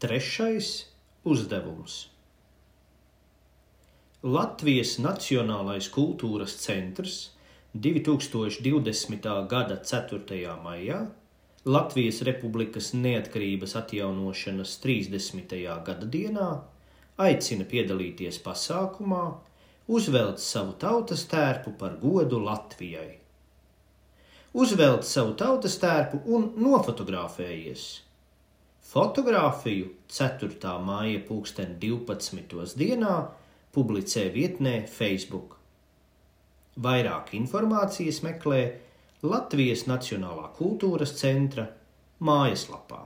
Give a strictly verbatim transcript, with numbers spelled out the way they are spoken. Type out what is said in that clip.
Trešais uzdevums. Latvijas Nacionālais kultūras centrs divi tūkstoši divdesmitā gada ceturtajā maijā, Latvijas Republikas neatkarības atjaunošanas trīsdesmitajā gada dienā aicina piedalīties pasākumā, uzvelt savu tautas tērpu par godu Latvijai. Uzvelt savu tautas tērpu un nofotografējies. Fotogrāfiju ceturtā maija pulksten divpadsmitos dienā publicē vietnē Facebook. Vairāk informācijas meklē Latvijas Nacionālā kultūras centra mājaslapā.